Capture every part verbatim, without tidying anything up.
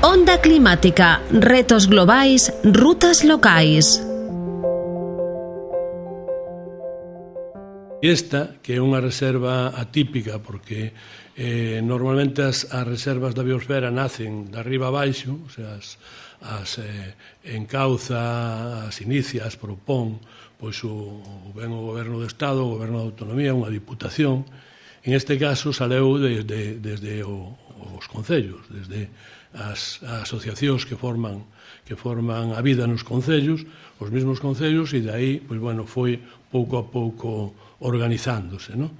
Onda climática, retos globais, rutas locais. Esta, que é unha reserva atípica, porque eh, normalmente as, as reservas da biosfera nacen de arriba a baixo, o sea, as, as eh, encauza, as inicia, as propón, pois o, ben o Goberno do Estado, o Goberno da Autonomía, unha diputación. En este caso, saleu desde, desde o, os concellos, desde as, as asociacións que forman que forman a vida nos concellos, os mesmos concellos, e dai, pois, bueno, foi pouco a pouco organizándose, non?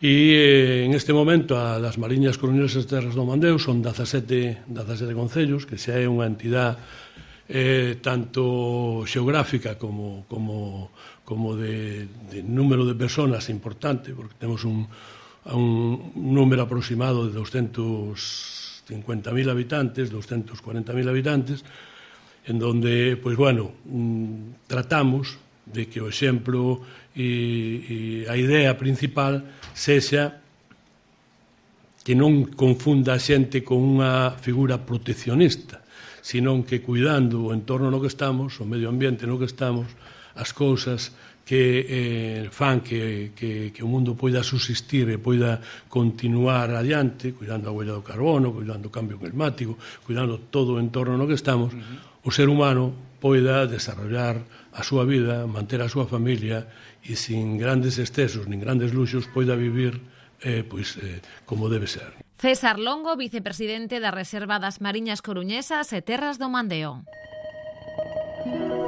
E eh, en este momento a das Mariñas Coruñesas Terras do Mandeo son dezasete concellos, que xa é unha entidade eh, tanto xeográfica como, como, como de, de número de personas importante, porque temos un, un número aproximado de doscientos cincuenta mil habitantes, doscientos cuarenta mil habitantes, en donde, pois, bueno, tratamos de que o exemplo e, e a idea principal sexa que non confunda a xente con unha figura proteccionista, senón que cuidando o entorno no que estamos, o medio ambiente no que estamos, as cousas que eh, fan que, que, que o mundo poida subsistir e poida continuar adiante, cuidando a huella do carbono, cuidando o cambio climático, cuidando todo o entorno no que estamos, uh-huh. O ser humano poida desarrollar a súa vida, manter a súa familia e sin grandes excesos nin grandes luxos poida vivir eh, pois, eh, como debe ser. César Longo, vicepresidente da Reserva das Mariñas Coruñesas e Terras do Mandeo.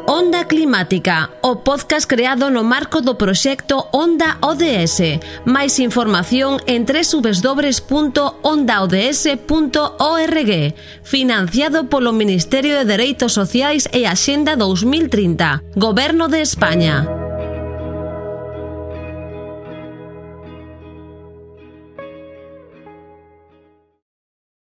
Onda Climática, o podcast creado no marco do proxecto Onda O D S. Máis información en doble u doble u doble u punto onda o d s punto org. Financiado polo Ministerio de Dereitos Sociais e Axenda dos mil trinta. Goberno de España.